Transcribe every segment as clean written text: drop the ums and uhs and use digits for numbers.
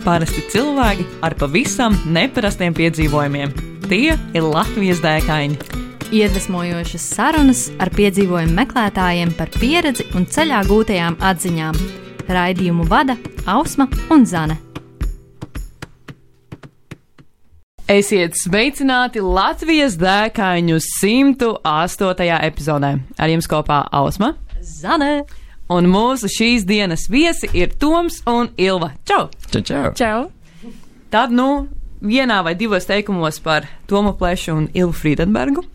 Parasti cilvēki ar pavisam neparastiem piedzīvojumiem. Tie ir Latvijas dēkaini. Iedvesmojošas sarunas ar piedzīvojumu meklētājiem par pieredzi un ceļā gūtajām atziņām. Raidījumu vada Ausma un Zane. Esiet sveicināti Latvijas dēkaņu 108. epizodē. Ar jums kopā Ausma, Zane. Un mūsu šīs dienas viesi ir Toms un Ilva. Čau! Čau! Čau! Tad, vienā vai divos teikumos par Tomu Plešu un Ilvu Friedenbergu.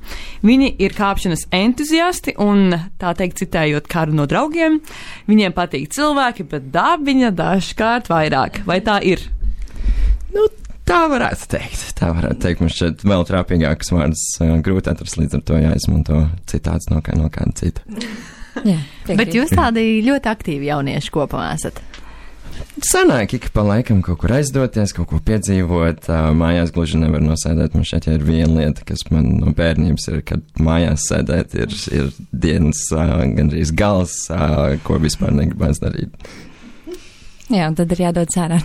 Viņi ir kāpšanas entuziasti un, tā teikt, citējot kādu no draugiem, viņiem patīk cilvēki, bet dabiņa dažkārt vairāk. Vai tā ir? Tā varētu teikt. Man šķiet vēl trāpīgākas vārdas grūti atrast, līdz ar to jāizmanto citāts no kāda cita. Jā, bet jūs tādi ļoti aktīvi jaunieši kopā esat. Sanāk, ik pa laikam kaut kur aizdoties, kaut ko piedzīvot. Mājās gluži nevar nosēdēt. Man šeit ir viena lieta, kas man no bērnības ir, kad mājās sēdēt ir dienas gandrīz gals, ko vispār negribas darīt. Jā, un tad ir jādod sērā.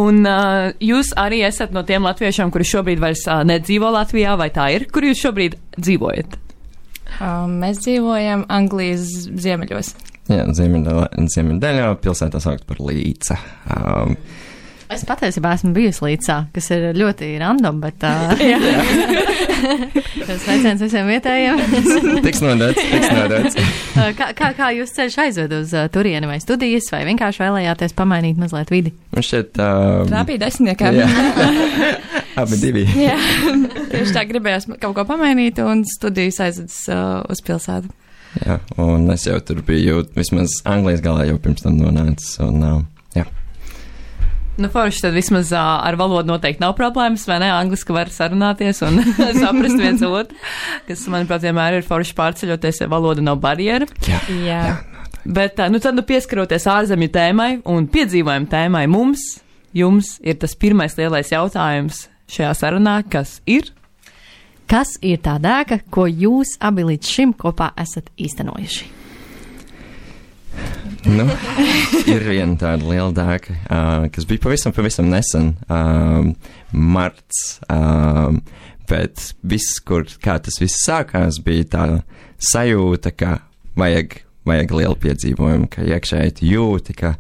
Un jūs arī esat no tiem latviešiem, kuri šobrīd vairs nedzīvo Latvijā, vai tā ir? Kur jūs šobrīd dzīvojat? Mēs dzīvojam Anglijas ziemeļos. Jā, ziemeļdaļā pilsētā saukt par Līca. Es patiesībā esmu bijusi Līcā, kas ir ļoti random, bet sveiciens visiem vietējiem. Tiks nodots. Kā jūs ceļš aizved uz turieni, vai studijas, vai vienkārši vēlējāties pamainīt mazliet vidi? Man šķiet... Trāpīja desmitniekā. Abi divi. Jā, tieši tā gribējās kaut ko pamainīt un studijas aizvedas uz pilsētu. Jā, un es jau tur biju vismaz Anglijas galā jau pirms tam nonācis, un jā. Forši, tad vismaz ar valodu noteikti nav problēmas, vai ne? Angliski var sarunāties un saprast viens otru, kas, manuprāt, vienmēr ir forši pārceļoties, ja valoda nav barjera. Jā. Bet, tad pieskaroties ārzemju tēmai un piedzīvojumu tēmai jums ir tas pirmais lielais jautājums šajā sarunā, kas ir? Kas ir tā dēka, ko jūs abi līdz šim kopā esat īstenojuši? Ir viena tāda liela dēka, kas bija pavisam nesen, marts, bet kā tas viss sākās, bija tā sajūta, ka vajag lielu piedzīvojumu, ka iekšēji jūti, ka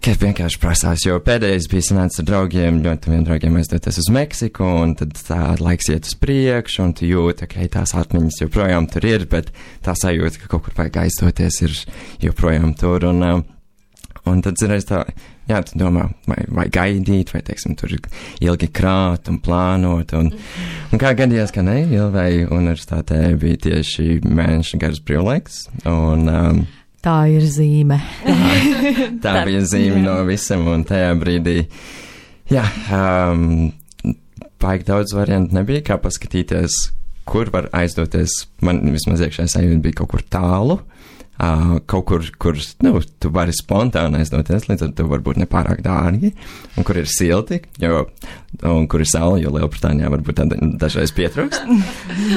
vienkārši prasās, jo pēdējais bija sanācis ar draugiem, ļoti vien draugiem aizdoties uz Meksiku, un tad tā laiks iet uz priekšu, un tu jūti, ka tās atmiņas joprojām tur ir, bet tā sajūta, ka kaut kur vajag aizdoties, ir joprojām tur, un tad zināms tā, tu domā, vai gaidīt, vai, teiksim, tur ilgi krāt un plānot, un kā gadījās, ka ne, Ilvei universitātē bija tieši mēneša garas brīvlaiks, un tā ir zīme. Tā bija zīme no visam, un tajā brīdī, baigi daudz variantu nebija, kā paskatīties, kur var aizdoties. Man vismaz iekšējā sajūta bija kaut kur tālu, kaut kur tu vari spontāni aizdoties, līdz ar to varbūt nepārāk dārgi, un kur ir silti, un kur ir saule, jo Lielbritānijā varbūt dažreiz pietrūkst.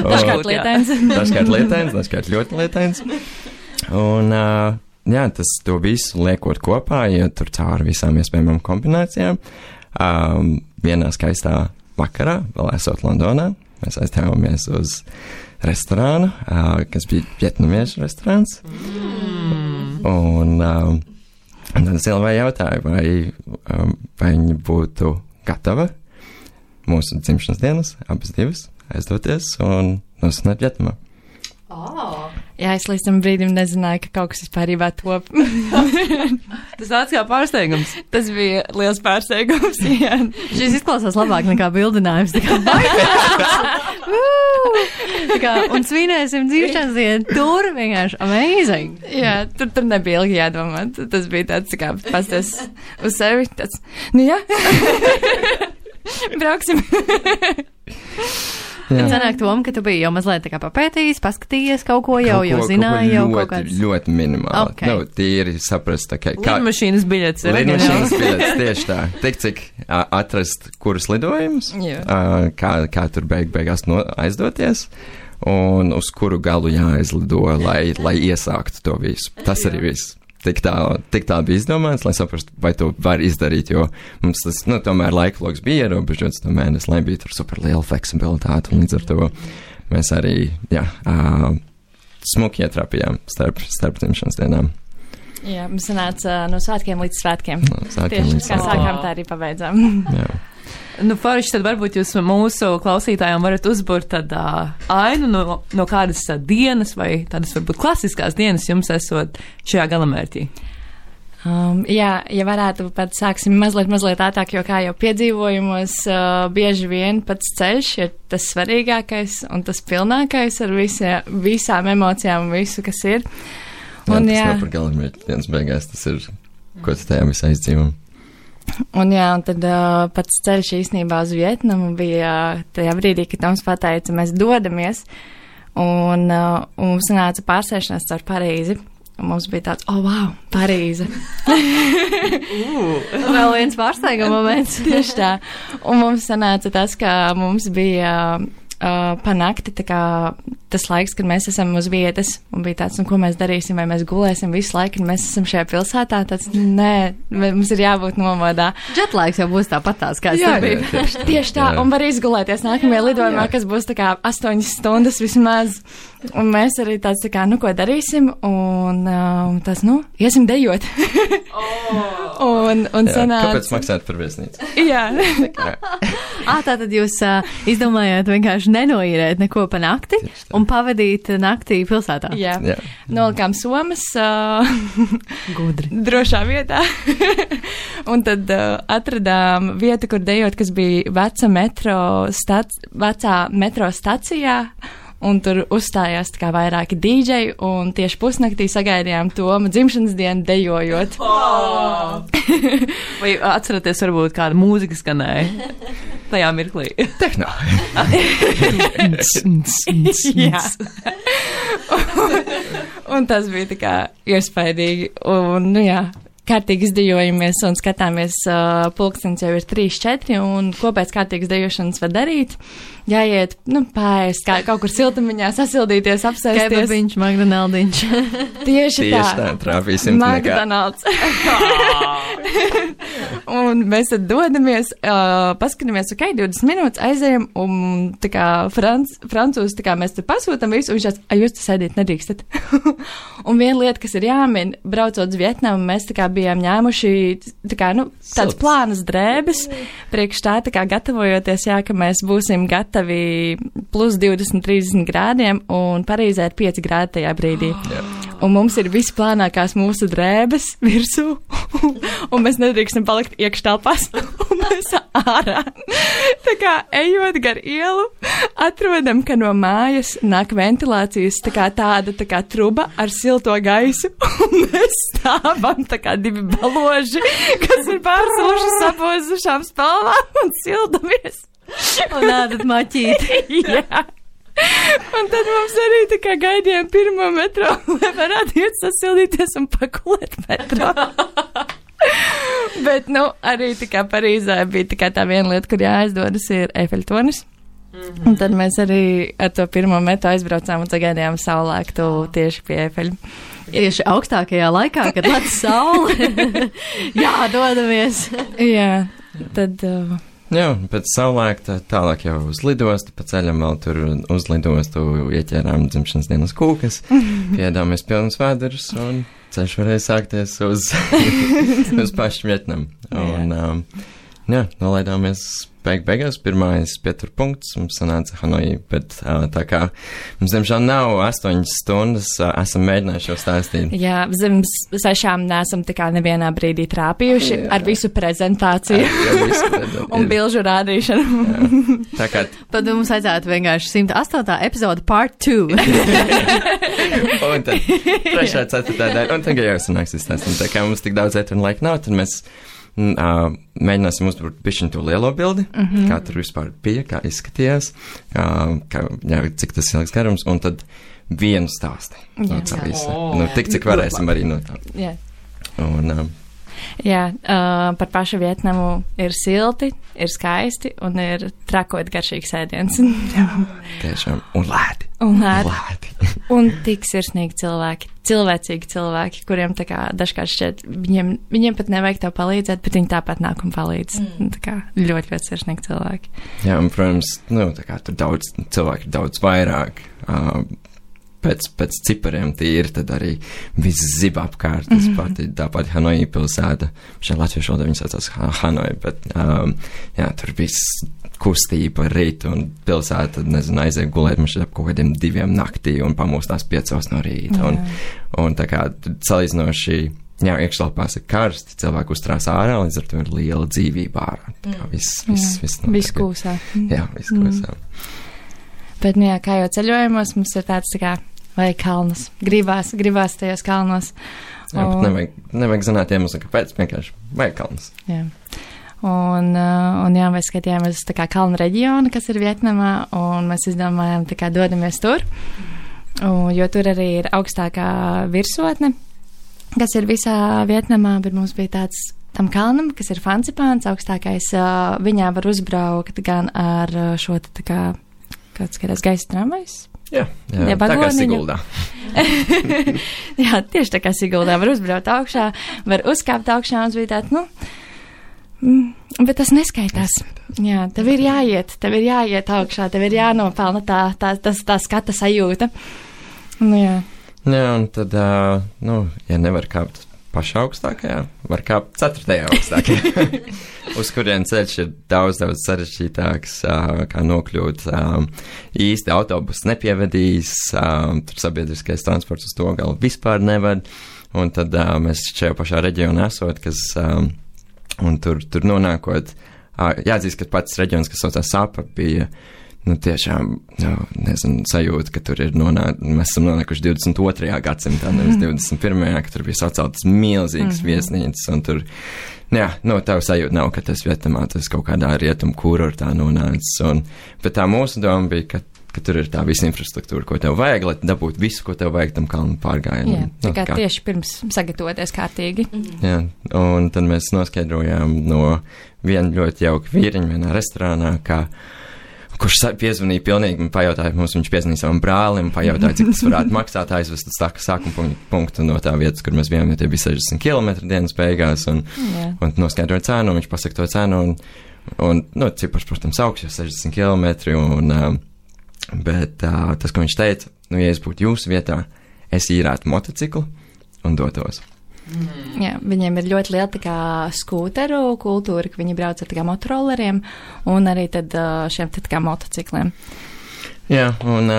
Dažkārt lietains. Dažkārt ļoti lietains. Un, to visu liekot kopā, tur cauri visām iespējamām kombinācijām. Vienā skaistā vakarā, vēl esot Londonā, mēs aiztēvamies uz restorānu, kas bija vietnamiešu restorāns. Un tad es Ilvai jautāju, vai viņa būtu gatava mūsu dzimšanas dienas, abas divas, aizdoties un nosināt Vietnamā. Jā, es līdz tam brīdim nezināju, ka kaut kas vispārībā top. Tas nāca kā pārsteigums. Tas bija liels pārsteigums, jā. Šis izklausās labāk nekā bildinājums. Un svinēsim dzimšanas dienu. Tur vienkārši amazing. Jā, tur nebija ilgi jādomā. Tas bija tāds, kā pasties uz sevi. Tāds, jā. Brauksim. Bet sanāk, Tom, ka tu biji jau mazliet tā kā papētījis, paskatījies kaut ko jau zināji jau kaut kāds. Ļoti minimāli. Okay. Tīri saprast, kā... Lidmašīnas biļets ir. Lidmašīnas biļets, tieši tā. Tik cik atrast, kurus lidojumus, kā tur beigās aizdoties, un uz kuru galu jāaizlido, lai iesāktu to visu. Tas arī viss. tik tā bija izdomāts, lai saprastu, vai to var izdarīt, jo mums tas, tomēr laikloks bija ierobežots, to mēnesi, lai bija tur super liela fleksibilitāte, un līdz ar to mēs arī, smuki ietrāpījām starp dzimšanas dienām. Jā, mums sanāca no svētkiem līdz svētkiem. Tieši kā sākām, tā arī pabeidzām. Jā. Forši, tad varbūt jūs mūsu klausītājiem varat uzburt tādu ainu no kādas dienas vai tādas varbūt klasiskās dienas jums esot šajā galamērķī. Jā, ja varētu pat sāksim mazliet ātrāk, jo kā jau piedzīvojumos, bieži vien pats ceļš ir tas svarīgākais un tas pilnākais ar visām emocijām un visu, kas ir. Un, tas nav par galamērķi dienas beigās, tas ir, ko tu tajā visā izdzīvo. Un tad pats ceļš īstenībā uz Vietnamu bija tajā brīdī, kad Toms pateica, mēs dodamies, un mums sanāca pārsēšanās caur Parīzi. Un mums bija tāds, wow, Parīze. Vēl viens pārsteiguma moments. Tieši tā. Un mums sanāca tas, ka mums bija pa nakti tas laiks, kad mēs esam uz vietas, un bija tāds, ko mēs darīsim, vai mēs gulēsim visu laiku, un mēs esam šajā pilsētā, tāds, nē, mums ir jābūt nomodā. Jetlaiks jau būs tāpatās, kā es bija. Tieši tā, un var izgulēties nākamajā lidojumā, kas būs 8 stundas vismaz, un mēs arī tāds, ko darīsim, un tas, iesim dejot. un sanāca. Kāpēc maksāt par viesnīcu? Jā. Tātad jūs izdomājāt vienkārši nenoīrēt neko pa nakti un pavadīt naktī pilsētā. Jā. Nolikām somas gudri. Drošā vietā. Un tad atradām vietu, kur dejot, kas bija vecā metro stacijā. Un tur uzstājās vairāki dīdžeji, un tieši pusnaktī sagaidījām Toma dzimšanas dienu dejojot. Vai atceraties, varbūt kāda mūzika skanēja tajā mirklī? Tehno. Jā. Un tas bija iespaidīgi. Un, kārtīgi izdejojamies un skatāmies, pulkstenis jau ir 3-4, un ko pēc kārtīgas dejošanas var darīt? Jāiet, pāriest, kaut kur siltumiņā, sasildīties, apsēsties. Kebabiņš, McDonaldiņš. Tieši tā. Trāpīsim McDonald's. Un mēs tad dodamies, paskatāmies, 20 minūtes aizējam, un francūzi, mēs tur pasūtam visu, un viņš tāds, jūs te sēdīt nedrīkstat. Un viena lieta, kas ir jāmin, braucot uz Vietnamu, mēs bijām ņēmuši tādas plānas drēbes, priekš tā gatavojoties, ka mēs būsim gatavi plus 20-30 grādiem, un Parīzē ir 5 grādi tajā brīdī. Un mums ir visplānākās mūsu drēbes virsū, un mēs nedrīkstam palikt iekštelpās, un mēs ārā. Ejot gar ielu, atrodam, ka no mājas nāk ventilācijas tāda truba ar silto gaisu, un mēs stāvam 2 baloži, kas ir pārsūši sabozušām spalvām un sildamies. Un ādat maķīti. Jā. Un tad mums arī gaidījām pirmo metro, lai varētu iet sasildīties un pakulēt metro. Bet, arī Parīzē bija tā viena lieta, kur jāaizdodas, ir Eifeļtornis. Un tad mēs arī ar to pirmo metru aizbraucām un sagaidījām saulēktu tieši pie Eifeļa. Tieši augstākajā laikā, kad lec saule. Jā, dodamies. Jā, tad... Jā, pēc saulēkta tālāk jau uz lidostu, pa ceļam vēl tur uz lidostu ieķērām dzimšanas dienas kūkas, piedāmies pilnus vēderus un ceļš varēja sākties uz pašu Vietnamu. Un, nolaidāmies beigās, pirmais pieturpunkts, mums sanāca Hanoi, bet tā kā mums, diemžēl, nav 8 stundas, esam mēģinājuši jau stāstīt. Jā, zem 6 neesam nevienā brīdī trāpījuši ar visu prezentāciju un bilžu rādīšanu. Tā kā... Tad mums vajadzētu vienkārši 108. epizoda part 2. Un tad 3. 4. daļa, un tagad jau sanāks izstāstīt. Tā kā mums tik daudz ētru un laika nav, tad mēs mēģināsim uzburt bišķiņu to lielo bildi, kā tur vispār bija, kā izskatījās, cik tas ilgs garums, un tad vienu stāsti. No tā visa. Tik, cik varēsim arī no tā. Jā. Un, Jā, par pašu Vietnamu ir silti, ir skaisti un ir trakot garšīgs ēdiens. Tiešām. Un lēti. Un tik sirsnīgi cilvēki, cilvēcīgi cilvēki, kuriem tā kā dažkārt šķiet, viņiem pat nevajag tev palīdzēt, bet viņi tāpat nāk un palīdz. Tā kā ļoti, ļoti sirsnīgi cilvēki. Jā, un, protams, tā kā tur cilvēki ir daudz vairāk. Pēc cipariem tīri, tad arī viss zib apkārt. Tas tāpat Hanoi pilsēta. Šajā latviešu valodā viņi saucās Hanoi, bet jā, tur viss kustība rīt un pilsēta, nezinu, aiziet gulēt mums ap kaut kādiem 2 naktī un pamostās 5 no rīta. Un tā kā salīdzinoši, jā, iekštelpās ir karsti, cilvēki uztrās ārā, līdz ar to ir liela dzīvība ārā. Viss kūsā. Jā, viss kūsā. Bet, jā, kā jau ceļojumos, mums ir tāds tā kā vajag kalnus. Gribās tajos kalnos. Jā, bet nevajag zināt iemeslu, kāpēc, vienkārši vajag kalnus. Jā. Un jā, mēs skatījāmies tā kā kalnu reģionu, kas ir Vietnamā, un mēs izdomājām, tā kā dodamies tur, jo tur arī ir augstākā virsotne, kas ir visā Vietnamā, bet mums bija tāds tam kalnam, kas ir Fancipāns, augstākais, viņā var uzbraukt gan ar šo tā kā, kāds skatās gaisa tramvajs. Jā, tā kā Siguldā. Jā, tieši tā kā Siguldā var uzbraukt augšā, var uzkāpt augšā, un bija tāds, bet tas neskaitās. Jā, tev ir jāiet augšā, tev ir jānopelna tā skata sajūta. Jā. Jā, un tad, ja nevar kāpt pašā augstākajā, var kāpt 4. augstākajā, uz kurien ceļš ir daudz sarežģītāks, kā nokļūt. Īsti autobus nepievedīs, tur sabiedriskais transports uz to galu vispār neved, un tad mēs šajā pašā reģionā esot, kas, un tur nonākot, jāatzīst, ka pats reģions, kas saucās Sapa, bija, tiešām, nezinu, sajūta, ka tur ir mēs esam nonākuši 22. gadsimtā, nevis 21. ka tur bija saceltas milzīgas viesnīcas, un tur, tev sajūta nav, ka tas Vietnamā, tas kaut kādā rietumu kurortā nonācis, bet tā mūsu doma bija, ka tur ir tā visa infrastruktūra, ko tev vajag, lai dabūtu visu, ko tev vajag tam kalnu pārgājienam. Jā, tā kā tieši pirms sagatavoties kārtīgi. Jā, un tad mēs noskaidrojām no viena ļoti jauka vīriņa vienā restorānā, kurš piezvanīja pilnīgi, man pajautāja, viņš piezvanīja savam brālim, pajautāja, cik tas varētu maksāt, aizvest uz sākuma punktu no tā vietas, kur mēs bijām, jo tie bija 60 km dienas beigās, un noskaidroja cenu, viņš pasaka to cenu, un cipars, protams, augsts, jo 60 km, bet tas, ko viņš teica, ja es būtu jūsu vietā, es īrētu motociklu un dotos. Jā, viņiem ir ļoti liela tā kā skūteru kultūra, ka viņi brauc ar tā kā motorolleriem un arī tad šiem tā kā motocikliem. Jā, un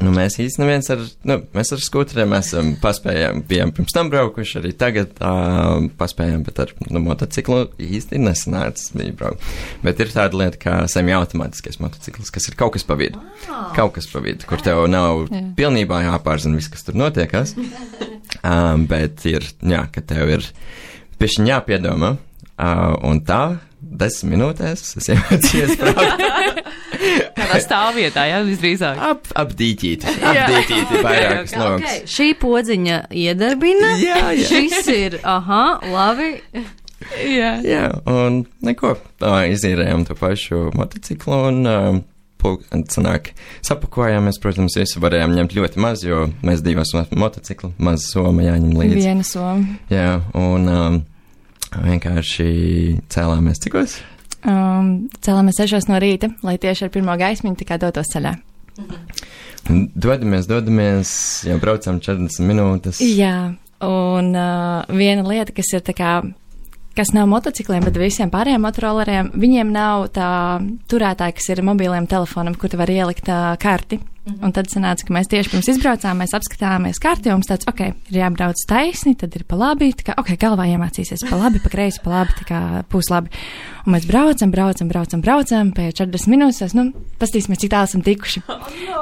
mēs īsti neviens mēs ar skūteriem esam bijām pirms tam braukuši, arī tagad paspējām, bet ar motociklu īsti nesanācis bija braukt. Bet ir tāda lieta kā semi-automātiskais motocikls, kas ir kaut kas pa vidu. Kaut kas pa vidu, kur tev nav pilnībā jāpārzina viss, kas tur notiekas. Bet ir, ka tev ir pišķiņ jāpiedomā, un tā 10 minūtēs es iemācījos braukt. Kādā stāvvietā, visdrīzāk? Ap dīķīti vairākas logas. Okay. Šī podziņa iedarbina, šis ir, labi. Jā, un neko, izīrējām to pašu motociklu, un sanāk, sapakojāmies, protams, visu varējām ņemt ļoti maz, jo mēs 2 motocikli, maz soma jāņem līdzi. Viena soma. Jā, un vienkārši cēlāmies cikos? Cēlāmies 6 no rīta, lai tieši ar pirmo gaismiņu tikai dotos ceļā. Dodamies, jau braucām 40 minūtes. Jā, un viena lieta, kas ir tā kā, kas nav motocikliem, bet visiem pārējiem motorolleriem, viņiem nav tā turētāja, kas ir mobiliem telefonam, kur te var ielikt karti. Un tad sanāca, ka mēs tieši pirms izbraucām, mēs apskatījāmies karti, un mums tāds, ir jābrauc taisni, tad ir pa labi, tā kā, galvā iemācīsies pa labi, pa kreisi, pa labi, tā kā pūs labi. Un mēs braucam, pēc 40 minūtes, pastīsimies, cik tālu esam tikuši.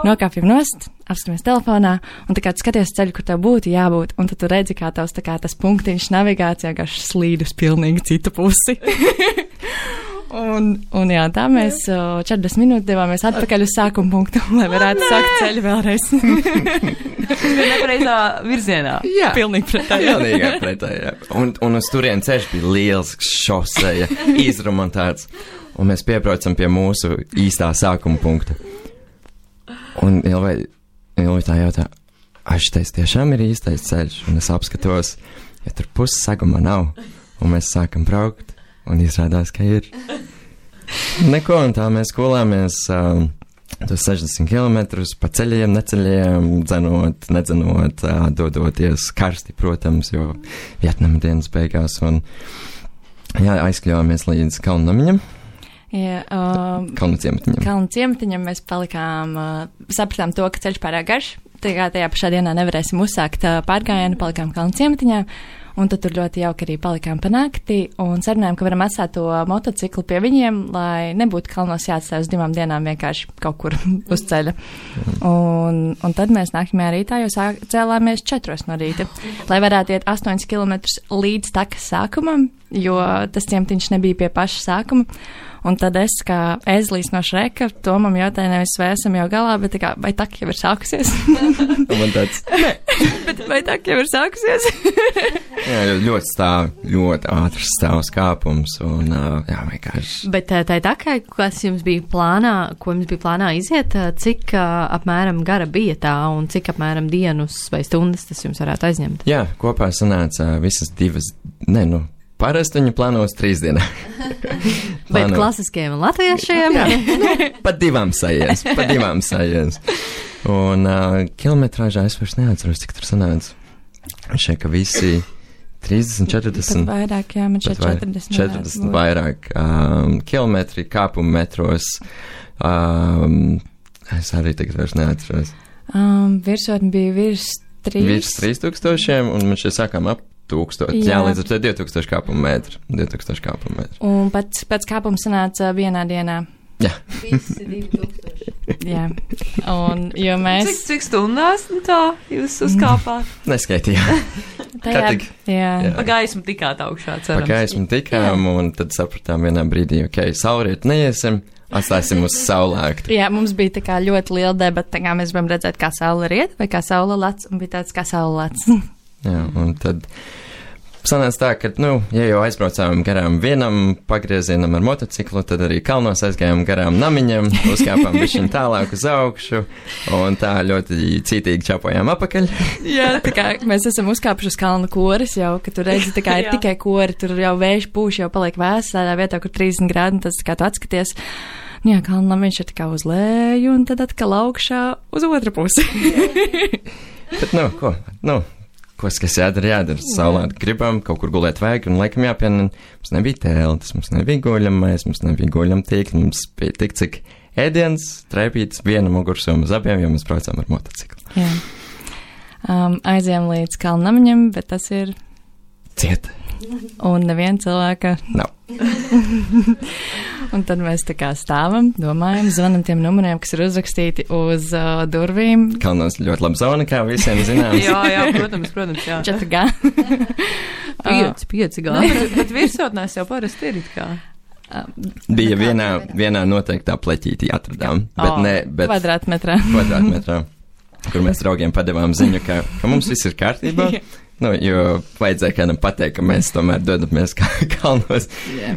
Nokāpjam nost, apskatāmies telefonā, un tā kā tu skaties ceļu, kur tev būtu jābūt, un tad tu redzi, kā tavs tā kā tas punktiņš navigācijā, kā slīd uz pilnīgi citu pusi. Un jā, tā mēs 40 minūtes devāmies atpakaļ uz sākuma punktu, lai varētu sākt ceļu vēlreiz. Tas bija nepareizā virzienā. Jā, pilnīgi pretēji. Pilnīgi pretēji. Un uz turien ceļš bija liels šoseja, izremontēts. Un mēs piebraucam pie mūsu īstā sākuma punkta. Un Ilvi tā jautā, šitais tiešām ir īstais ceļš, un es apskatos, ja tur puses sagumā nav, un mēs sākam braukt, un izrādās, ka ir. Neko, un tā mēs kulāmies tos 60 kilometrus pa ceļiem, neceļiem, nedzenot, dodoties karsti, protams, jo Vietnama dienas beigās, un jā, aizkļāvāmies līdz Kalnamiņam. Jā, Kalnu ciematiņam mēs palikām, sapratām to, ka ceļš pārāk garš, tajā pašā dienā nevarēsim uzsākt pārgājienu, palikām Kalnu ciematiņā, un tad tur ļoti jauki arī palikām pa nakti, un sarunājām, ka varam atstāt to motociklu pie viņiem, lai nebūtu kalnos jāatstāj uz 2 dienām vienkārši kaut kur uz ceļa. Un tad mēs nākamajā rītā jau cēlāmies 4 no rīta, lai varētu iet 8 kilometrus līdz takas sākumam, jo tas ciematiņš nebija pie paša sākuma. Un tad es, kā ezlīs no Šreka, Tomam jautāju, nevis vai esam jau galā, bet tā kā, vai tak jau ir sākusies? Man tāds. Bet vai tak jau ir sākusies? Jā, ļoti ātrs stāvs kāpums, un jā, vienkārši. Bet tā takai, kas jums bija plānā iziet, cik apmēram gara bija tā, un cik apmēram dienas vai stundas tas jums varētu aizņemt? Jā, kopā sanāca visas 2, parasti viņi plāno uz 3 dienām. Bet klasiskajiem un latviešiem? Jā, pa 2 sajiens. Un kilometrāžā es vairs neatceros, cik tur sanāca. Šeit, ka visi 30, 40. Pat vairāk, jā, man šeit 40 vairāk kilometri, kāpumu metros. Es arī tagad vairs neatceros. Virsotni bija virs 3000, un man šeit sākām ap 1000. Jā, līdz ar to 2000 kāpumu metru. Un pēc kāpuma sanāca vienā dienā. Jā. Visi 2000. Jā. Un, jo mēs... Cik stundās tā jūs uzkāpāt? Neskaitījām. Jā. Pa gaismu tikāt augšā, cerams. Pa gaismu tikām, un tad sapratām vienā brīdī, saulriet neiesim, atstāsim uz saulēktu. Jā, mums bija tā kā ļoti liela debata, tā kā mēs gribam redzēt, kā saule riet, vai kā saule lec, un bija tāds kā saule lec. Jā, un tad sanāca tā, ka, ja jau aizbraucām garām vienam pagriezienam ar motociklu, tad arī kalnos aizgājām garām namiņam, uzkāpām bišķiņ tālāk uz augšu, un tā ļoti cītīgi čapojām apakaļ. Jā, tā kā mēs esam uzkāpuši uz kalnu koris jau, ka tu redzi, tā kā ir tikai kori, tur jau vējš pūš, jau paliek vēs, tādā vietā, kur 30 grādi, un tas tā kā tu atskaties. Jā, kalnamiņš ir tā kā uz leju, un tad atkal augšā uz otru pusi. Bet, kas jādara, saulēt gribam, kaut kur gulēt vajag, un laikam jāpiena, mums nebija teltis, mums nebija guļamais, mums nebija guļamtīkli, mums bija tik cik ēdiens, treipīts, viena mugursoma uz abiem, jo mēs braucām ar motociklu. Jā. Aizējām līdz Kalnamiņam, bet tas ir... Ciet. Un neviena cilvēka... Nav. Un tad mēs tā kā stāvam, domājam, zvanam tiem numuriem, kas ir uzrakstīti uz durvīm. Kalnos ļoti laba zona, kā visiem zināms. jā, protams, jā. 4G. 5G. Bet virsotnēs jau parasti ir kā. Bija vienā noteiktā pleķītī atradām, bet kvadrātmetrā, kur mēs draugiem padevām ziņu, ka mums viss ir kārtībā. Jo vajadzēja kādam pateikt, ka mēs tomēr dodamies kalnos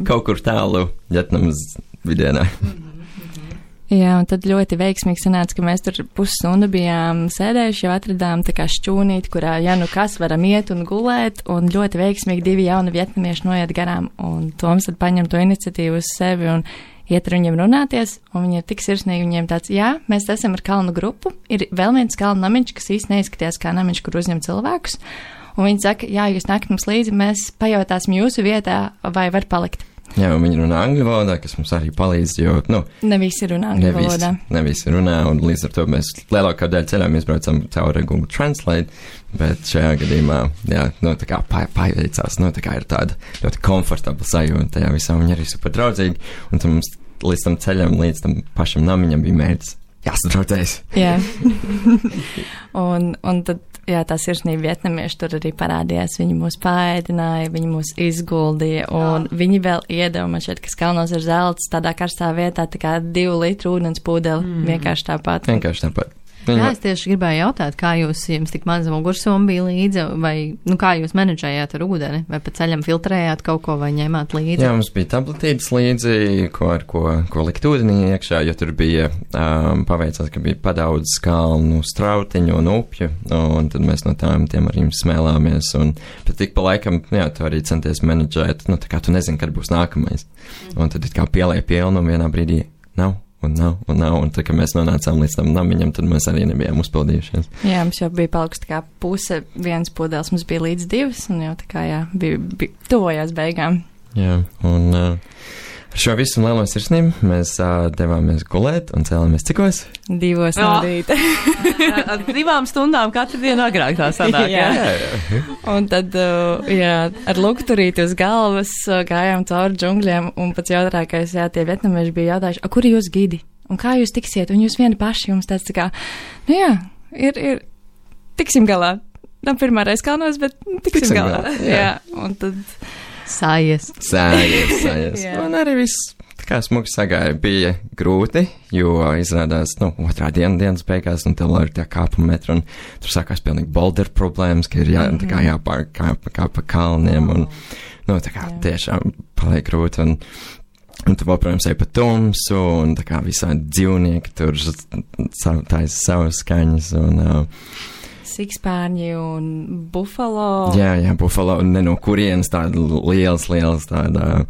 kaut kur tālu Vietnamas vidienā. Jā, un tad ļoti veiksmīgi sanāca, ka mēs tur pusstundu bijām sēdējuši, jau atradām tā kā šķūnīti, kurā, kas varam iet un gulēt, un ļoti veiksmīgi 2 jauni vietnamieši noiet garām, un Toms tad paņem to iniciatīvu uz sevi un iet ar viņiem runāties, un viņi ir tik sirsnīgi, viņiem tāds, mēs esam ar kalnu grupu, ir vēl viens kalnu namiņš, kas īsti neizskatījās kā namiņš, kur uzņem cilvēkus. Un viņi saka, jūs nākat mums līdzi, mēs pajautāsim jūsu vietā, vai var palikt. Jā, un viņi runā angļu valodā, kas mums arī palīdz, jo, ne visi runā angļu valodā. Ne visi runā, un līdz ar to mēs lielākā daļa ceļām izbraucam caur Google Translate, bet šajā gadījumā, tā kā paveicās, tā kā ir tāda ļoti komfortabla sajūta, tajā visā viņi arī super draudzīgi, un tad mums līdz tam ceļam, līdz tam pašam namiņam bija mērķis jāsadraudzējas. Jā. un tad jā, tā sirsnība vietnamieši tur arī parādījās. Viņi mūs paēdināja, viņi mūs izguldīja, un viņi vēl iedeva, man šķiet, kas kalnos ir zelts, tādā karstā vietā, tā kā 2 litru ūdens pūdeli, vienkārši tāpat. Vienkārši tāpat. Jā, es tieši gribēju jautāt, kā jums tik maza mugursoma bija līdzi, vai, kā jūs menedžējāt ar ūdeni, vai pa ceļam filtrējāt kaut ko, vai ņēmāt līdzi? Jā, mums bija tabletītes līdzi, ko likt ūdenī iekšā, jo tur bija, paveicās, ka bija padaudz kalnu strautiņu un upju, un tad mēs no tiem arī smēlāmies, un pat tik pa laikam, jā, tu arī centies menedžēt, tā kā tu nezini, kad būs nākamais, un tad it kā pielēja pilnu, un vienā brīdī nav. Un tad, kad mēs nonācām līdz tam namiņam, tad mēs arī nebijām uzpildījušies. Jā, mums jau bija palikusi tā kā puse, viens pudeles mums bija līdz 2, un jau tā kā, jā, bija tuvojās beigām. Jā, un ar šo visu lielo sirsnību mēs devāmies gulēt un cēlāmies cikos? 2 no rīta. Ar 2 stundām katru dienu agrāk tā sanāk, jā. Un tad, jā, ar lukturīti uz galvas gājām cauri džungļiem, un pats jautrākais, jā, tie vietnamieši bija jautājuši, kur ir jūs gidi? Un kā jūs tiksiet? Un jūs vieni paši, jums tāds tā kā, jā, ir, tiksim galā. Nav pirmā reize kalnos, bet tiksim galā. Jā, un tad... Sājies. Un arī viss tā kā smuki sagāja. Bija grūti, jo izrādās, otrā dienas beigās, un tev vēl ir tie kāpuma metri, un tur sākās pilnīgi boulder problēmas, ka ir jāpārkāp pa kalniem, un, tā kā tiešām paliek grūti, un tu joprojām ej pa tumsu, un tā kā visādi dzīvnieki tur taisa savas skaņas, un... Sikspārņi un bufalo. Jā, bufalo, ne no kurienes tāda liels tāda,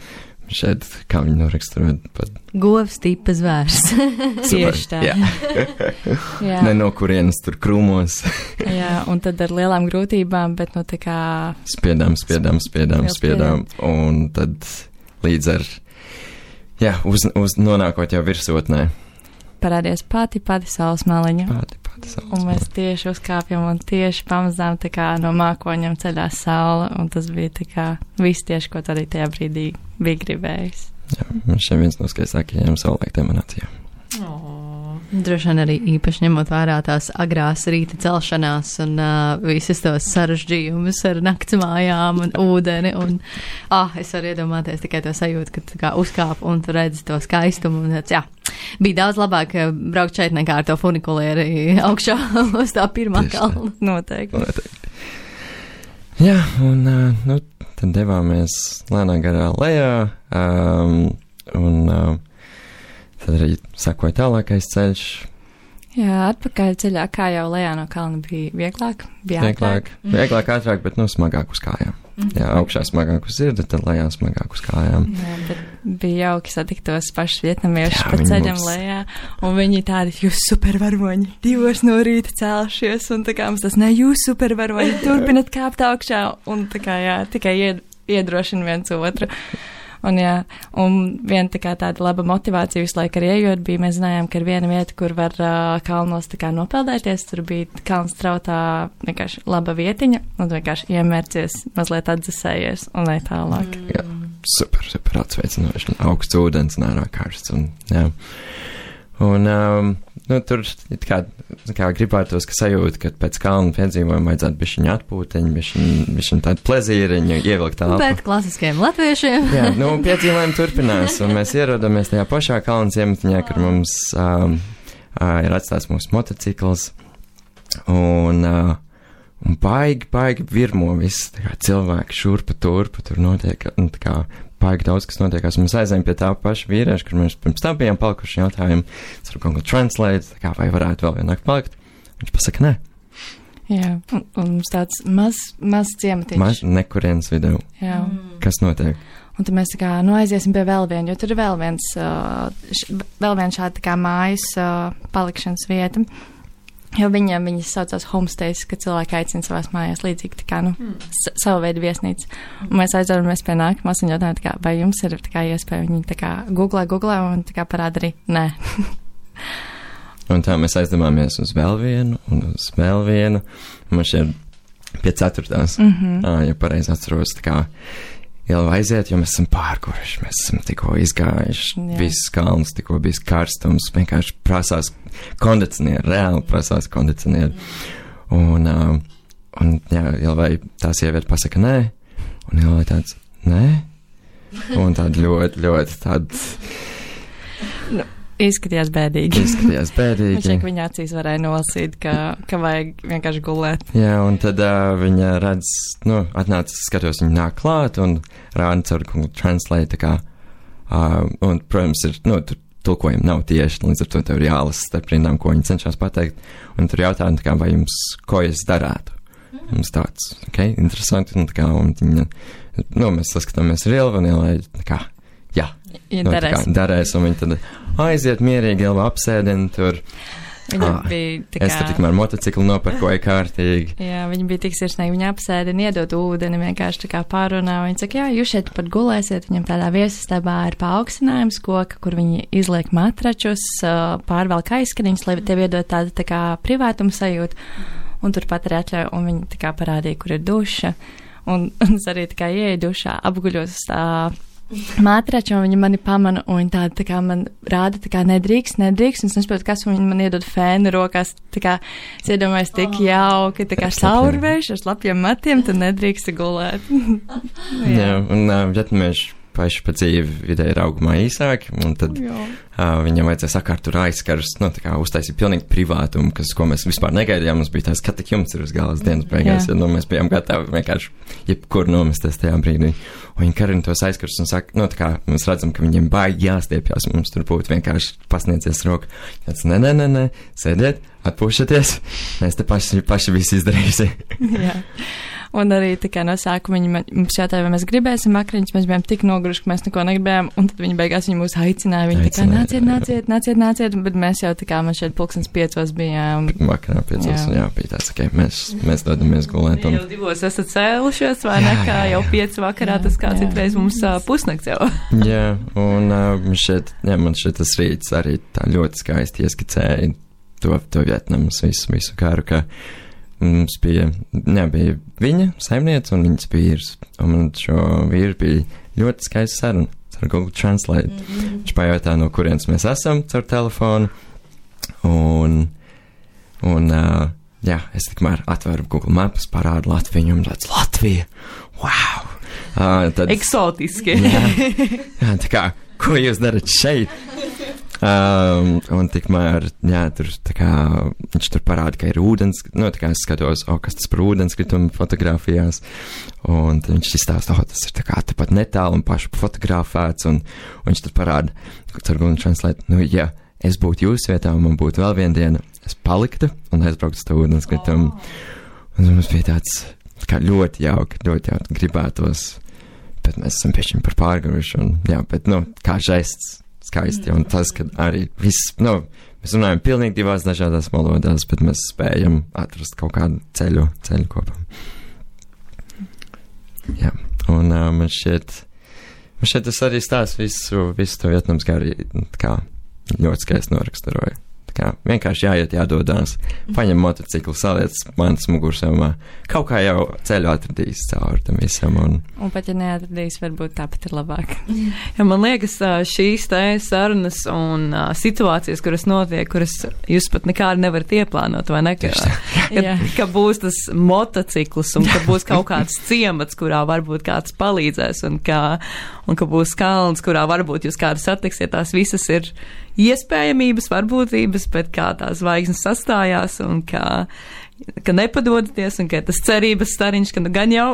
šeit, kā viņi noraksturot pat. Govs tipa zvērs. Tieši tā. Jā. Ne no kurienes tur krūmos. Jā, un tad ar lielām grūtībām, bet tā kā... Spiedām, un tad līdz ar, jā, uz nonākot jau virsotnē. Parādījās pati saules maliņa. Un mēs maliņa. tieši uzkāpjam un tieši pamazām tā kā no mākoņiem ceļās saule, un tas bija tā kā viss tieši, ko arī tajā brīdī bija gribējis. Jā, man šeit viens no skaistākajiem saulēktiem manācijām. Droši vien arī īpaši ņemot vērā tās agrās rīta celšanās un visas tos sarežģījumus ar naktsmājām un ūdeni. Un, es varu iedomāties tikai to sajūtu, ka tu kā uzkāp un tu redzi to skaistumu. Un, jā, bija daudz labāk braukt šeit nekā ar to funikulieri augšā uz tā pirmā kalna. Noteikti. Jā, un tad devāmies lēnā garā lejā, un tad arī sakoja tālākais ceļš. Jā, atpakaļ ceļā, kā jau lejā no kalna bija vieglāk, bija ātrāk. Vieglāk, ātrāk, bet smagāk uz kājām. Jā, augšā smagāk uz sirdi, tad lejā smagāk uz kājām. Jā, bet bija jauki satikt tos pašus vietnamiešus pa ceļam lejā, un viņi tādi, jūs supervaroņi, 2 no rīta cēlušies, un tā kā mums tas ne, jūs supervaroņi, turpinat kāpt augšā, un tā kā, jā, tikai iedrošina viens otru. Un, jā, un viena tā kā tāda laba motivācija visu laiku arī ejot bija, mēs zinājām, ka ir viena vieta, kur var kalnos tā kā nopeldēties, tur bija kalns trautā vienkārši laba vietiņa, un vienkārši iemērcies, mazliet atdzesējies un lai tālāk. Jā, super atsveicinoši, augsts ūdens un ārā karsts, un jā. Un, tur kā gribētos, ka sajūta, ka pēc kalnu piedzīvojuma vajadzētu bišķiņu atpūteņu, bišķiņu tādu plezīriņu, ievilkt telpu. Bet klasiskajiem latviešiem. Jā, piedzīvojumi turpinās, un mēs ierodamies tajā pašā kalnu ciematiņā, kur mums ir atstāts mūsu motocikls, un baigi virmo viss, tā kā cilvēki šurpa turpa, tur notiek, tā kā baigi daudz, kas notiekās. Mēs aizējām pie tā paša vīrieša, kur mēs pirms tam bijām palikuši jautājumu, ar Google Translate, tā kā vai varētu vēl vienāk palikt. Viņš pasaka, nē. Jā, un mums tāds maz ciematiņš. Maz nekurienes vidū. Jā. Kas notiek? Un tad mēs tā kā aiziesim pie vēl viena, jo tur ir vēl viens šāda tā kā mājas palikšanas vieta. Jo viņas saucās homestays, ka cilvēki aicina savās mājās līdzīgi, tā kā, savu veidu viesnīca. Un mēs aizvaramies pie nākamās un jautājām, tā kā, vai jums ir tā kā iespēja, viņi tā kā googlē un tā kā parāda arī, nē. Un tā mēs aizdevāmies uz vēl vienu, un uz vēl vienu, un man šeit pie 4. Ja pareizi atceros, tā kā jau aiziet, jo mēs esam pārkuruši, mēs esam tikko izgājuši, viss kalns, tikko bijis karstums, vienkārši prasās kondicionieri, reāli prasās kondicionieri. Un Un, jā, Ilvai tā sieviete pasaka nē, un Ilvai tāds nē, un tāda ļoti tāda. Izskatījās bēdīgi. Izskatījās bēdīgi. Viņš viņa acīs varēja nolasīt, ka vajag vienkārši gulēt. Jā, un tad viņa redz, atnāca, skatos, viņa nāk klāt un rāda caur Google Translate, tā kā, un, protams, ir, tur tulkojumi nav tieši, līdz ar to tev ir jālasa starp rindām, ko viņi cenšas pateikt, un tur jautā, tā kā, vai jums, ko es darētu? Mums tāds, interesanti, un tā kā, un viņa, mēs saskatāmies ar Ilvu, un Ilvai, tā kā, jā, darēs, un viņi tad aiziet mierīgi, Ilva apsēdina tur. Viņa bija tā kā... Es tur tikmēr motociklu nopirkoju kārtīgi. Jā, viņa bija tik sirsnīgi, viņa apsēdina, iedot ūdeni, vienkārši tā kā pārunā. Viņa saka, jā, jūs šeit pat gulēsiet, viņam tādā viesistabā ir paaugstinājums koka, kur viņi izliek matračus, pārvelk aizskariņus, lai tev iedot tādu tā kā privātumu sajūtu, un turpat arī atļauj, un viņi tā kā parādīja, kur ir duša, un es arī tā kā ieeju dušā, apguļos matraču, un viņi mani pamana, un viņi tā kā man rāda, tā kā nedrīkst, un es nesaprotu, kas, un viņi man iedod fēnu rokās, tā kā es iedomājos tik jauki, tā kā saurvējš ar slapjiem matiem, tad nedrīkst gulēt. Jā, un vietnamieši paši pa dzīvi vidēji ir augumā īsāki, un tad viņam vajadzēja sakārt tur aizskars, tā kā uztaisīt pilnīgi privātumu, ko mēs vispār negaidījām, mums bija tās, ka tik jums ir uz galas dienas beigās, ja mēs bijām gatavi vienkārši jebkur nomesties tajā brīdī. Un viņi karina tos aizskars un saka, tā kā mēs redzam, ka viņiem baigi jāstiepjās, mums tur būtu vienkārši pasniedzies roku. Tāds, nē, sēdiet, atpūšaties, mēs te paši visi izdarīsim. Jā. Un arī tā kā no sākuma viņi mums jautāja, vai mēs gribēsim vakariņas, mēs bijām tik noguruši, ka mēs neko negribējām, un tad viņi beigās mūs aicināja, viņi tā kā nāciet, bet mēs jau tā kā man šeit 5:00 bijām. Vakarā 5:00, jā, bija tāds, mēs dodamies gulēt. Jau 2 esat cēlušies, vai ne, kā jau 5 vakarā, tas kā citreiz mums pusnakts jau. Jā, un man šeit tas rīts arī tā ļoti skaisti ieskicēja to Vietnamas visu kāru, ka mums bija viņa saimniece un viņas vīrs, un man šo vīru bija ļoti skaists saruna ar Google Translate. Viņš pajautā, no kurienes mēs esam caur telefonu, un es tikmēr atveru Google Maps, parādu Latviju, un tāds Latvija, wow! Tad, eksotiski. Jā, tā kā, ko jūs darat šeit? Un tikmēr, tur tā kā viņš tur parāda, ka ir ūdens, tā kā es skatos, kas tas par ūdenskritumu fotografijās, un tad viņš izstāsta, tas ir tā kā tepat netālu un pašu fotografēts, un viņš tur parāda, caur Google Translate, ja es būtu jūsu vietā, un man būtu vēl viena diena, es paliktu un aizbrauktu uz to ūdenskritumu. Un mums bija tāds, kā ļoti jauki, gribētos, bet mēs esam piešķiņi par pārguruši, un bet, kā žests. Skaisti, un tas, ka arī viss, mēs runājam pilnīgi 2 dažādās valodās, bet mēs spējam atrast kaut kādu ceļu kopā. Jā, un man šķiet tas arī stāsts visu to Vietnamas gari, kā ļoti skaisti noraksturoja. Kā vienkārši jāiet, jādodās, paņem motociklu, saliec manas mugursomā. Kaut kā jau ceļu atradīs cauri tam visam. Un pat ja neatradīs, varbūt tāpat ir labāk. Ja man liekas, šīs te sarunas un situācijas, kuras notiek, kuras jūs pat nekādi nevarat ieplānot, vai ne? Ka būs tas motocikls un ka būs kaut kāds ciemats, kurā varbūt kāds palīdzēs un ka būs kalns, kurā varbūt jūs kādu satiksiet, tās visas ir iespējamības, varbūtības, bet kā tās zvaigznes sastājās un ka nepadodaties un ka tas cerības stariņš, ka gan jau,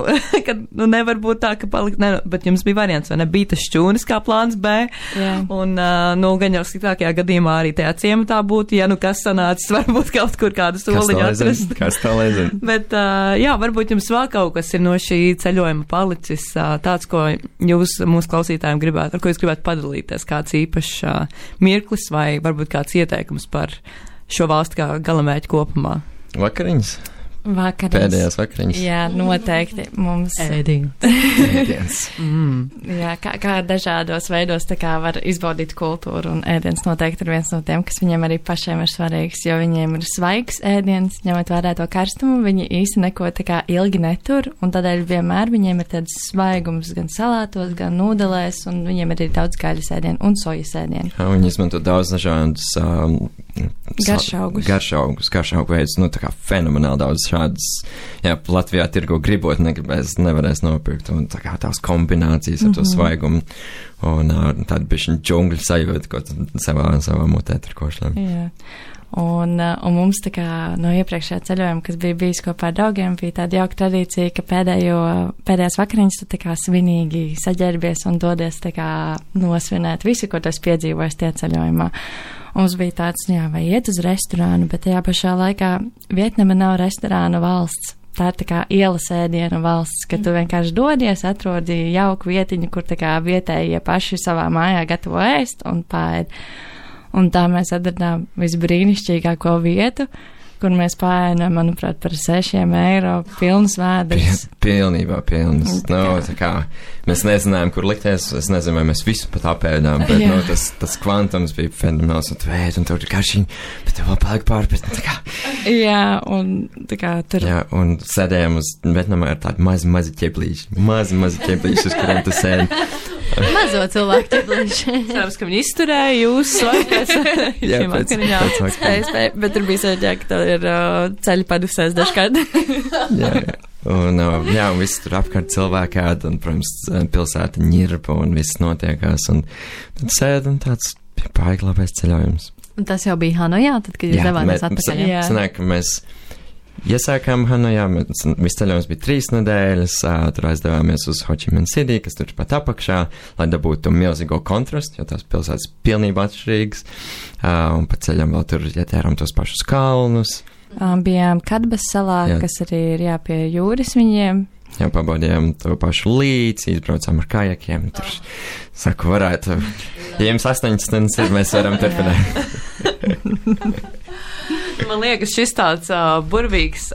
ka nevar būt tā, ka palikt, bet jums bija variants, vai ne, bija tas šķūnis kā plāns B, un gan jau sliktākajā gadījumā arī tajā ciematā būtu, ja kas sanācis, varbūt kaut kur kādu soliņu atrast. Kas tā lēzina? Bet, varbūt jums vēl kaut kas ir no šī ceļojuma palicis tāds, ko jūs mūsu klausītājiem gribētu, ar ko jūs gribētu padalīties, kāds īpašs mirklis vai varbūt kāds ieteikums par šo valstu kā galamērķi kopumā. Vakariņas? Pēdējās vakariņas. Jā, noteikti mums ēdiens. Jā, kā dažādos veidos tā kā var izbaudīt kultūru, un ēdiens noteikti ir viens no tiem, kas viņiem arī pašiem ir svarīgs, jo viņiem ir svaigs ēdiens, ņemot vērā to karstumu, viņi īsti neko tā kā ilgi netur, un tādēļ vienmēr viņiem ir tāds svaigums gan salātos, gan nūdelēs, un viņiem ir arī daudz gaļas ēdienu un sojas ēdienu. Jā, viņi izmanto daudz dažādus garšaugus veidus, nu, tā kā fenomenāli daudz šādas, jā, Latvijā tirgo gribot, nevarēs nopirkt, un tā kā tās kombinācijas ar to svaigumu, un tādu bišķiņu džungļu sajūtu, ko savā mutē tur košļam. Jā. Un mums tā kā no iepriekšējā ceļojuma, kas bija bijis kopā ar draugiem, bija tāda jauka tradīcija, ka pēdējās vakariņas tu tā kā svinīgi saģērbies un dodies tā kā nosvinēt visu, ko tu esi piedzīvojis tie ceļojumā. Mums bija tāds, jā, vai iet uz restorānu, bet tajā pašā laikā Vietnama nav restorānu valsts. Tā ir tā kā ielas ēdienu valsts, ka tu vienkārši dodies, atrodi jauku vietiņu, kur tā kā vietējie paši savā mājā gatavo ēst un pāēd. Un tā mēs atradām visbrīnišķīgāko vietu, kur mēs pāēnām, manuprāt, par 6 eiro pilnas vēders. Pilnībā pilnas. Tā kā mēs nezinājām, kur likties, es nezinu, vai mēs visu pat apēdām, bet tas kvantums bija fenomenāls, un tu ēd, un tev ir garšīgi, bet tev vēl paliek pāri, bet tā kā. Jā, un tā kā tur. Jā, un sēdējām uz Vietnamā ar tādu mazi ķeblīši, uz kuriem tu sēdi. Mazo cilvēku ķeblīši. Cerams, ka viņi izturēja jūs svaigas. Jā, pēc spēja, bet tur bija sēdējā, ka tev ir ceļi padusēs dažkārt. Jā. Un viss tur apkārt cilvēki ēd, un, protams, pilsēta ņirpa, un viss notiekās, un tad sēd, un tāds bija baigi labais ceļojums. Un tas jau bija Hanojā, tad, kad jūs devāmies atpakaļ? Jā, sanāk, ka mēs iesākām Hanojā, viss ceļojums bija 3 nedēļas, tur aizdevāmies uz Ho Chi Minh City, kas tur pat apakšā, lai dabūtu to milzīgo kontrastu, jo tās pilsētas pilnībā atšķirīgas, un pa ceļam vēl tur ietērām tos pašus kalnus. Bijām Kadbas salā, kas arī ir pie jūras viņiem. Jā, pabaudījām to pašu līci, izbraucām ar kajakiem, tur, saku, varētu, ja jums 8 stundas ir, mēs varam turpināt. Man liekas, šis tāds burvīgs,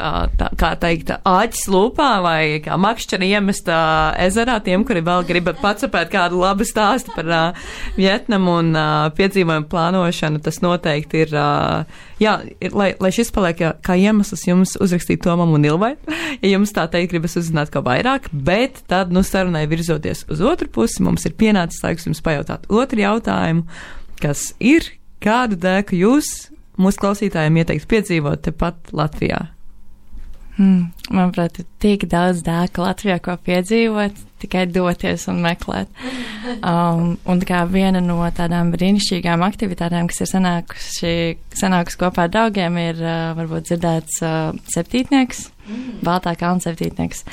kā teikt, āķis lūpā vai kā makšķeri iemest ezerā tiem, kuri vēl grib pacapēt kādu labu stāstu par Vietnamu un piedzīvojumu plānošanu. Tas noteikti ir, lai šis paliek kā iemesls jums uzrakstīt Tomam un Ilvai, ja jums tā teikt gribas uzzināt ko vairāk, bet tad, sarunai virzoties uz otru pusi, mums ir pienācis laiks jums pajautāt otru jautājumu, kas ir, kādu dēku jūs mūsu klausītājiem ieteikt piedzīvot tepat Latvijā? Manuprāt, ir tik daudz dēku Latvijā, ko piedzīvot, tikai doties un meklēt. Un kā viena no tādām brīnišķīgām aktivitātēm, kas ir sanākusi kopā ar draugiem, ir varbūt dzirdēts septītnieks, Baltā kalna septītnieks.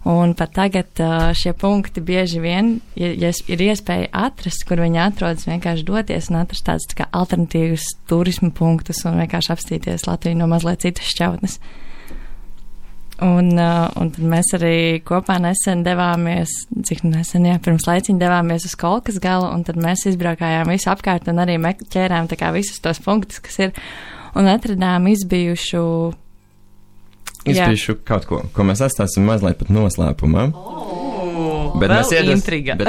Un pat tagad šie punkti bieži vien ir iespēja atrast, kur viņi atrodas, vienkārši doties un atrast tādus tā kā alternatīvus turismu punktus un vienkārši apstīties Latviju no mazliet citas šķautnes. Un tad mēs arī kopā nesen devāmies, pirms laiciņa devāmies uz Kolkas galu, un tad mēs izbraukājām visu apkārt un arī ķērām tā kā visus tos punktus, kas ir, un atradām izbijušu kaut ko mēs atstāsim mazliet pat noslēpumā. Bet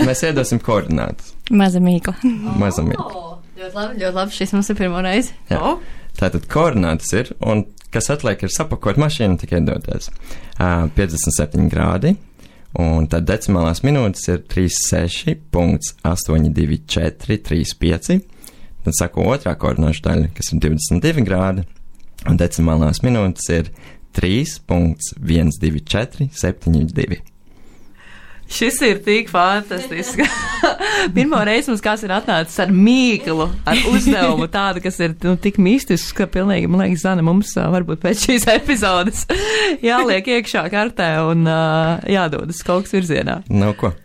mēs iedosim koordinātus. Maza mīkla. Ļoti labi, šis mums ir pirmo reizi. Tātad koordinātas ir, un kas atliek ir sapakot mašīnu, tikai doties. 57 grādi, un tad decimālās minūtes ir 36.82435. Tad saku otrā koordināšu daļa, kas ir 22 grādi, un decimālās minūtes ir 3.12472. Šis ir tik fantastisks. Pirmo reizi mums kāds ir atnācis ar mīklu, ar uzdevumu tādu, kas ir tik mistisks, ka pilnīgi, man liekas, Zana, mums varbūt pēc šīs epizodes jāliek iekšā kartē un jādodas kaut kas virzienā. Nav ko.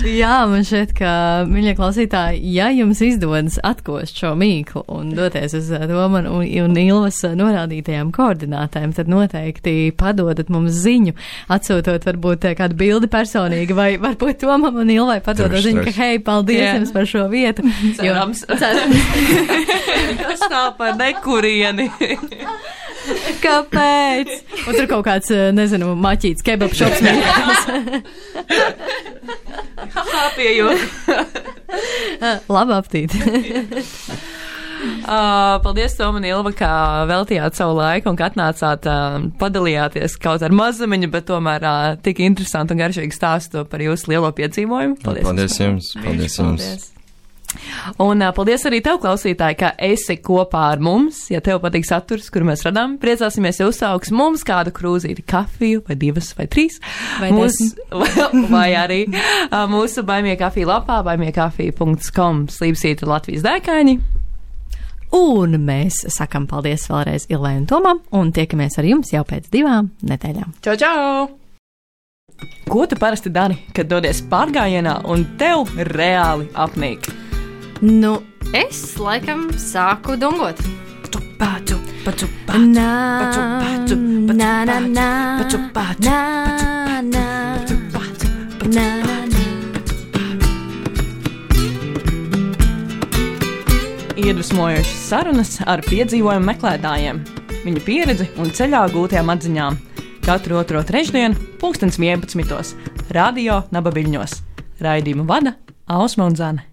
Jā, man šķiet, ka, mīļie klausītāji, ja jums izdodas atkost šo mīklu un doties uz Toma un Ilvas norādītajām koordinātēm, tad noteikti padodat mums ziņu, atsūtot varbūt kādu bildi personīgi, vai varbūt Tomam un Ilvai padodat ziņu, ka hei, paldies jums par šo vietu. Cerams. Tas tā par nekurieni. Kāpēc? Un tur kaut kāds, nezinu, maķīts kebab šops mīļās. Labu aptīti. Paldies, Toma un Ilva, kā veltījāt savu laiku un ka atnācāt, padalījāties kaut ar mazumiņu, bet tomēr tik interesantu un garšīgu stāstu par jūsu lielo piedzīvojumu. Paldies jums. Paldies jums. Un paldies arī tev, klausītāji, ka esi kopā ar mums. Ja tev patīk saturs, kuru mēs radām, priecāsimies, ja uzsauks mums kādu krūzīti kafiju, vai 2, vai 3. Vai arī mūsu Baimie kafija lapā, baimiekafija.com, slīpsīta Latvijas dēkaini. Un mēs sakam paldies vēlreiz Ilvai un Tomam, un tiekamies ar jums jau pēc 2 nedēļām. Čau, čau! Ko tu parasti dari, kad dodies pārgājienā un tev reāli apnīk? Nu, es laikam sāku dungot. Iedvesmojošas sarunas ar piedzīvojumu meklētājiem, viņu pieredzi un ceļā gūtajām atziņām. Katru 2. trešdienu, 11:00, Radio Naba Viļņos. Raidījumu vada Ausma un Zane.